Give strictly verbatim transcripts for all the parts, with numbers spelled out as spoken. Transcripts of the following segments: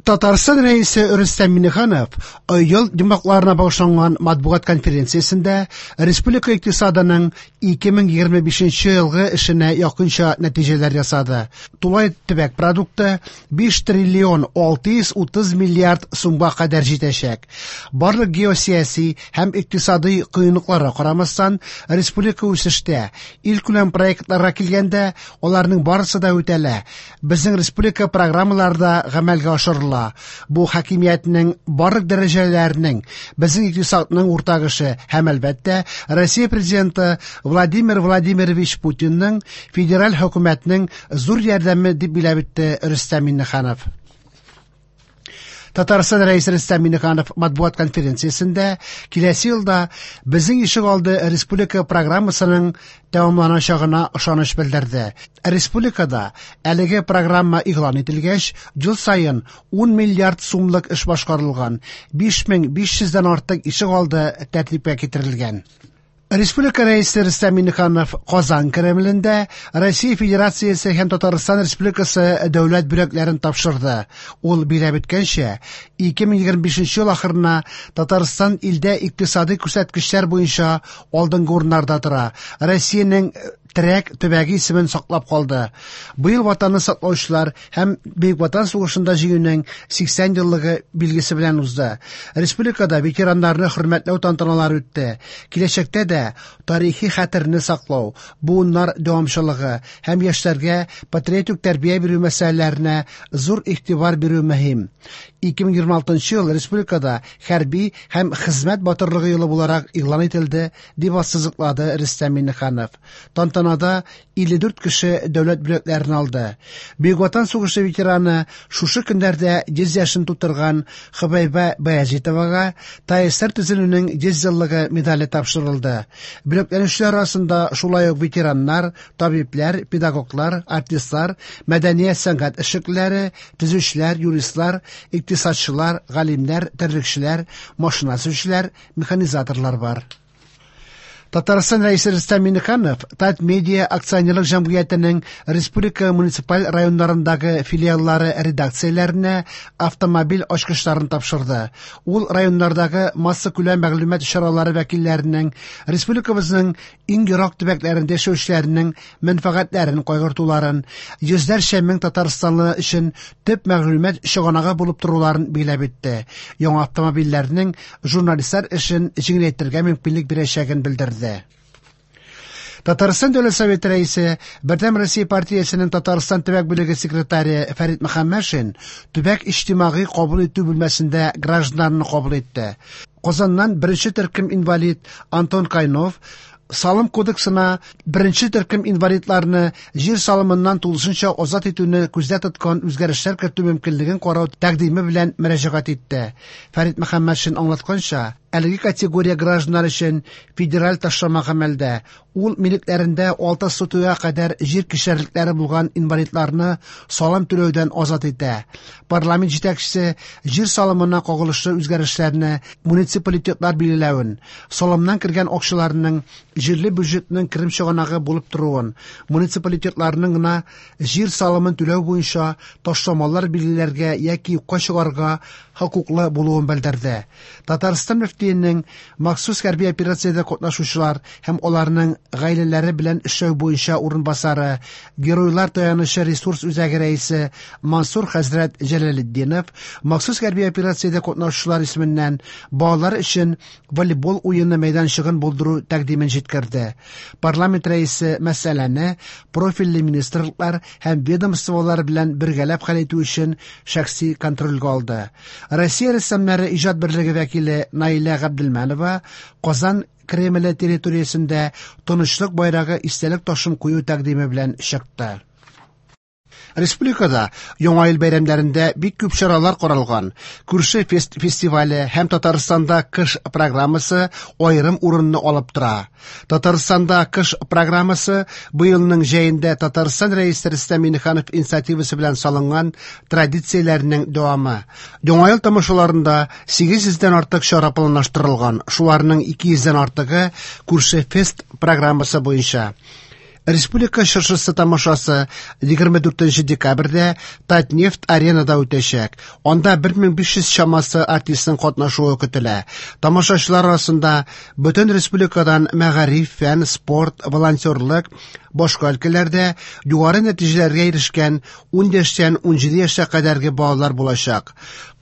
Татарстан Рәисе Рөстәм Миңнеханов ел йомгакларына багышланган матбугат конференциясендә республика икътисадының ике мең егерме бишенче елгы эшенә якынча нәтиҗәләр ясады. Тулай төбәк продукты биш триллион алты йөз утыз миллиард сумга кадәр җитәчәк. Барлык геосияси һәм икътисади кыенлыкларга карамастан, республика үсештә. Илкүләм проектларга килгәндә, аларның барысы да үтәлә. Безнең республика программалары да гамәлгә ашырыла. Бу хакимиятнең барлык дәрәҗәләренең, безнең икътисадның уртак эше һәм, әлбәттә, Россия президенты Владимир Владимирович Путинның федераль хөкүмәтнең зур ярдәме дип билгеләп үтте Рөстәм Миңнеханов. Татарстан Рәисе Рөстәм Миңнеханов матбугат конференциясендә киләсе елда безнең ишегалды республика программасының тәмамланачагына ышаныч белдерде. Республикада әлеге программа игълан ителгәч, ел саен ун миллиард сумлык эш башкарылган, биш мең биш йөздән артык ишегалды тәртипкә китерелгән. Республика Рәисе Рөстәм Миңнеханов Казан Кремлендә Россия Федерациясе һәм Татарстан Республикасы дәүләт бүләкләрен тапшырды. Ул билгеләп үткәнчә, ике мең егерме бишенче ел ахырына Татарстан илдә икътисади күрсәткечләр буенча алдынгы урыннарда тора. Россиянең терәк төбәге исемен саклап калды. Быел ватанны саклаучылар һәм Бөек Ватан сугышында җиңүнең сиксән еллыгы билгесе белән узды. Республикада ветераннарны хөрмәтләү тантаналары үтте. Киләчәктә дә тарихи хәтерне саклау, буыннар дәвамчылыгы һәм яшьләргә патриотик тәрбия бирү мәсьәләләренә зур игътибар бирү мөһим. Ике мең егерме алтынчы ел республикада хәрби һәм хезмәт батырлыгы елы буларак игълан ителде, дип ассызыклады Рөстәм Миңнеханов. Тантанада илле дүрт кеше дәүләт бүләкләрен алды. Бөек Ватан сугышы ветераны шушы көннәрдә йөз яшен тутырган Хөбәйбә Баязитовага ТАССР төзелүнең йөз еллыгы медале тапшырылды. Бүләкләнүчеләр арасында шулай ук ветераннар, табибләр, педагоглар, артистлар, мәдәният сәнгать эшлеклеләре, төзүчеләр, юристлар, икътисадчылар, галимнәр, терлекчеләр, машина төзүчеләр, механизаторлар бар. Татарстан Рәисе Рөстәм Миңнеханов Татмедиа акционерлык җәмгыятенең республика муниципаль районнарындагы филиаллары редакцияләренә автомобиль ачкычларын тапшырды. Ул районнардагы массакүләм мәгълүмат чаралары вәкилләренең республикабызның иң ерак төбәкләрендә яшәүчеләренең мәнфәгатьләрен кайгыртуларын, йөзләрчә мең татарстанлы өчен төп мәгълүмат чыганагы булып торуларын билгеләп үтте. Яңа автомобильләрнең журналистлар эшен җиңеләйтергә мөмкинлек бирәчәген белдерде. Татарстан Дәүләт Советы рәисе, Бердәм Россия партиясенең Татарстан төбәк бүлеге секретаре Фәрит Мөхәммәтшин төбәк иҗтимагый кабул итү бүлмәсендә гражданнарны кабул итте. Казаннан беренче төркем инвалид Антон Кайнов Салым кодексына беренче төркем инвалидларны җир салымыннан тулысынча азат итүне күздә тоткан үзгәрешләр кертү мөмкинлеген карау тәкъдиме белән мөрәҗәгать итте. Фәрит Мөхәммәтшин аңлатканча, әлеге категория гражданнар өчен федераль ташлама гамәлдә. Ул милекләрендә алты сотыйга кадәр җир кишәрлекләре булган инвалидларны салым түләүдән азат итә. Парламент җитәкчесе җир салымына кагылышлы үзгәрешләрне муниципалитетлар билгеләвен, салымнан кергән акчаларның җирле бюджетның керем чыганагы булып торуын, муниципалитетларның гына җир салымын түләү буенча ташламалар билгеләргә яки юкка чыгарга хокуклы булуын белдерде. Татарстан мөфтиенең махсус хәрби операциядә катнашучылар һәм аларның гаиләләре белән эшләү буенча урынбасары, Геройлар таянычы ресурс үзәге рәисе Мансур хәзрәт Җәләлетдинов махсус хәрби операциядә катнашучылар исеменнән балалар өчен волейбол уены мәйданчыгын булдыру тәкъдимен җиткерде. Парламент рәисе мәсьәләне профильле министрлыклар һәм ведомстволар белән бергәләп хәл итү өчен шәхси контрольгә алды. Россия рәссамнары иҗат берлеге вәкиле Наилә Габделмәнова Казан Кремле территориясендә тынычлык байрагы истәлек ташын кую тәкъдиме белән чыкты. Республикада Яңа ел бәйрәмнәрендә бик күп чаралар каралган. Күрше фест-, фестивале һәм Татарстанда кыш программасы аерым урынны алып тора. Татарстанда кыш программасы быелның җәендә Татарстан Рәисе Рөстәм Миңнеханов инициативасы белән салынган традицияләрнең дәвамы. Яңа ел тамашаларында сигез йөздән артык чара планлаштырылган. Шуларның ике йөздән артыгы күрше фест программасы буенча. Республика чыршысы тамашасы егерме дүртенче декабрьдә Татнефть аренада үтәчәк. Анда бер мең биш йөз чамасы артистның катнашуы көтелә. Тамашачылар арасында бөтен республикадан мәгариф, фән, спорт, волонтерлык, башка өлкәләрдә югары нәтиҗәләргә ирешкән ун яшьтән ун җиде яшькә кадәрге балалар булачак.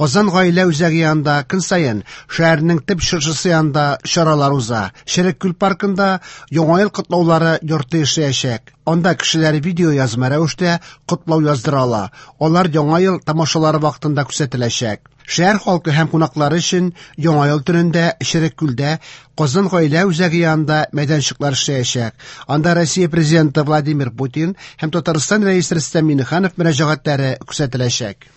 Казан гаилә үзәге янында көн саен шәһәрнең төп чыршысы янында чаралар уза. Черек күл паркында Яңа ел котлаулары йорты эшләячәк. Анда кешеләр видео язма рәвештә котлау яздыра ала. Алар Яңа ел тамашалары вакытында күрсәтеләчәк. Шәһәр халкы һәм кунаклары өчен Яңа ел төнендә Черек күлдә Казан гаилә үзәге янында мәйданчыклар эшләячәк. Анда Россия президенты Владимир Путин һәм Татарстан рәисе Рөстәм Миңнеханов мөрәҗәгатьләре күрсәтеләчәк.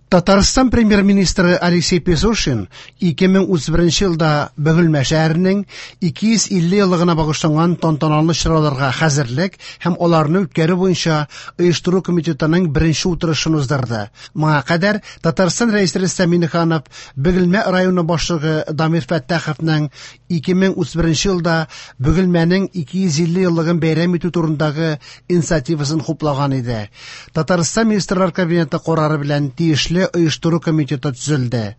Татарстан премьер-министры Алексей Песошин ике мең утыз беренче елда Бөгелмә шәһәренең ике йөз илле еллыгына багышланган тантаналы чараларга хәзерлек һәм аларны үткәрү буенча оештыру комитетының беренче утырышын уздырды. Моңа кадәр Татарстан рәисе Рөстәм Миңнеханов Бөгелмә районы башлыгы Дамир Фәттаховның ике мең утыз беренче елда Бөгелмәнең ике йөз илле еллыгын бәйрәм итү турындагы инициативасын хуплаган иде. Татарстан Министрлар Кабинеты карары белән тиешле оештыру комитеты төзелде.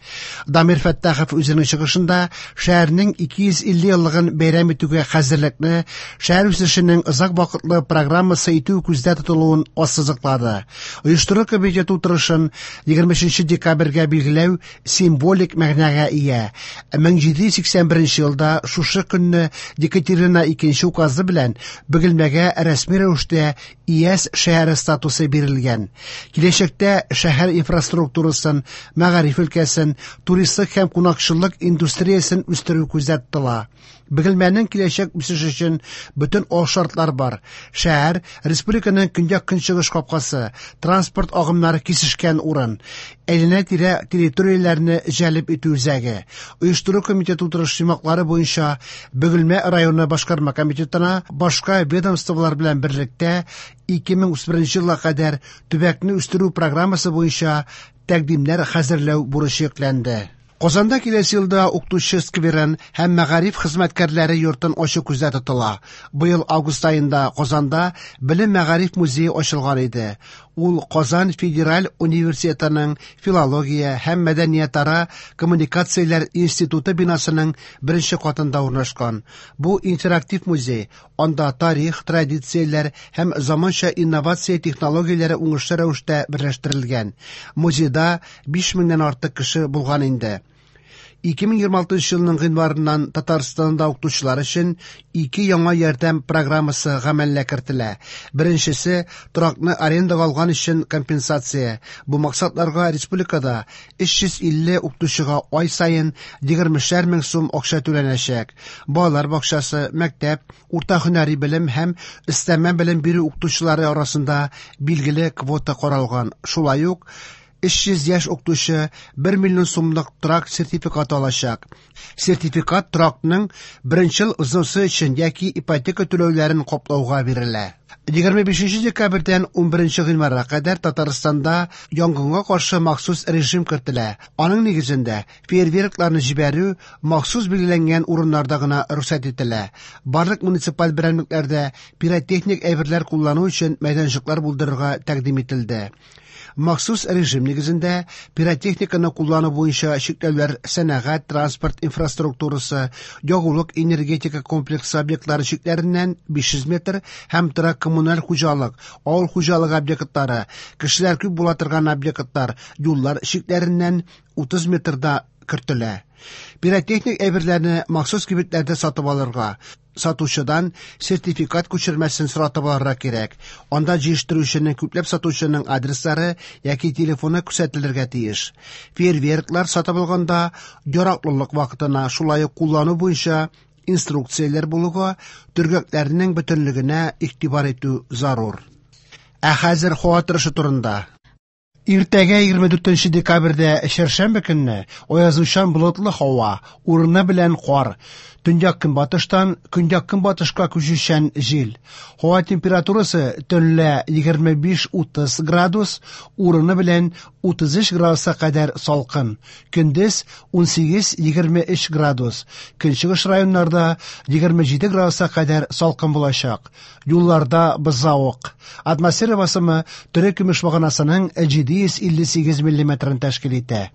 Дамир Фәттахов үзенең чыгышында шәһәрнең ике йөз илле еллыгын бәйрәм итүгә хәзерлекне шәһәр үсешенең озак вакытлы программасы итү күздә тотылуын ассызыклады. Оештыру комитеты утырышын егерме өченче декабрьгә билгеләү символик мәгънәгә ия. Мең җиде йөз сиксән беренче елда шушы көнне Екатерина икенче указы белән Бөгелмәгә рәсми рәвештә ИЭС шәһәре статусы бирелгән. Киләчәктә шәһәр инфраструктурасын, мәгариф өлкәсен, туристлык һәм кунакчыллык индустриясен үстерү күздә тотыла. Бөгелмәнең киләчәк үсеше өчен бөтен алшартлар бар. Шәһәр республиканың көньяк-көнчыгыш капкасы, транспорт агымнары кисешкән урын, әйләнә-тирә территорияләрне җәлеп итү үзәге. Оештыру комитеты утырыш йомгаклары буенча Бөгелмә районы башкарма комитетына башка ведомстволар белән берлектә ике мең утыз беренче елга кадәр төбәкне үстерү программасы буенча тәкъдимнәр хәзерләү бурычы йөкләнде. Казанда киләсе елда укытучы скверын һәм мәгариф хезмәткәрләре йортын ачу күздә тотыла. Быел август аенда Казанда Белем мәгариф музее ачылган иде. Ул Казан федераль университетының филология һәм мәдәниятара коммуникацияләр институты бинасының беренче катында урнашкан. Бу интерактив музей, анда тарих, традицияләр һәм заманча инновация технологияләре уңышлы рәвештә берләштерелгән. Музейда биш меңнән артык кеше булган инде. Ике мең егерме алтынчы елның гыйнварыннан Татарстанда укытучылар өчен ике яңа ярдәм программасы гамәлгә кертелә. Беренчесе торакны арендага алган өчен компенсация. Бу максатларга республикада өч йөз илле укытучыга ай саен егермешәр мең сум акча түләнәчәк. Балалар бакчасы, мәктәп, урта һөнәри белем һәм өстәмә белем бирү укытучылары арасында билгеле квота каралган. Шулай ук өч йөз яшь укытучы бер миллион сумлык торак сертификаты алачак. Сертификат торакның беренче ел взносы өчен яки ипотека түләүләрен каплауга бирелә. Егерме бишенче декабрьдән ун беренче гыйнварга кадәр Татарстанда янгынга каршы махсус режим кертелә. Аның нигезендә фейерверкларны җибәрү махсус билгеләнгән урыннарда гына рөхсәт ителә. Барлык муниципаль берәмлекләрдә пиротехник әйберләр куллану өчен мәйданчыклар булдырырга тәкъдим ителде. Махсус режим нигезендә пиротехниканы куллану буенча чикләүләр сәнәгать, транспорт инфраструктурасы, ягулык энергетика комплексы объектлары чикләреннән биш йөз метр һәм торак коммуналь хуҗалык, авыл хуҗалыгы объектлары, кешеләр күп була торган объектлар, юллар чикләреннән утыз метрда кертелә. Пиротехник әйберләрне махсус кибетләрдә сатып алырга, сатучыдан сертификат күчермәсен соратып алырга кирәк. Анда җыештыручының, күпләп сатучының адреслары яки телефоны күрсәтелергә тиеш. Фейерверклар сатып алганда яраклылык вакытына, шулай ук куллану буенча инструкцияләр булуга, төргәкләрнең бөтенлегенә игътибар итү зарур. Ә хәзер һава торышы турында. Иртәгә егерме дүртенче декабрьдә чәршәмбе көнне аязучан болытлы һава, урыны белән кар. Төньяк-көнбатыштан көньяк-көнбатышка күчүчән җил. Һава температурасы төнлә егерме биш-утыз градус, урыны белән утыз өч градуска кадәр салкын. Көндез унсигез-егерме өч градус. Көнчыгыш районнарда егерме җиде градуска кадәр салкын булачак. Юлларда бозлавык. Атмосфера басымы терекөмеш баганасының җиде йөз илле сигез миллиметрын тәшкил итә.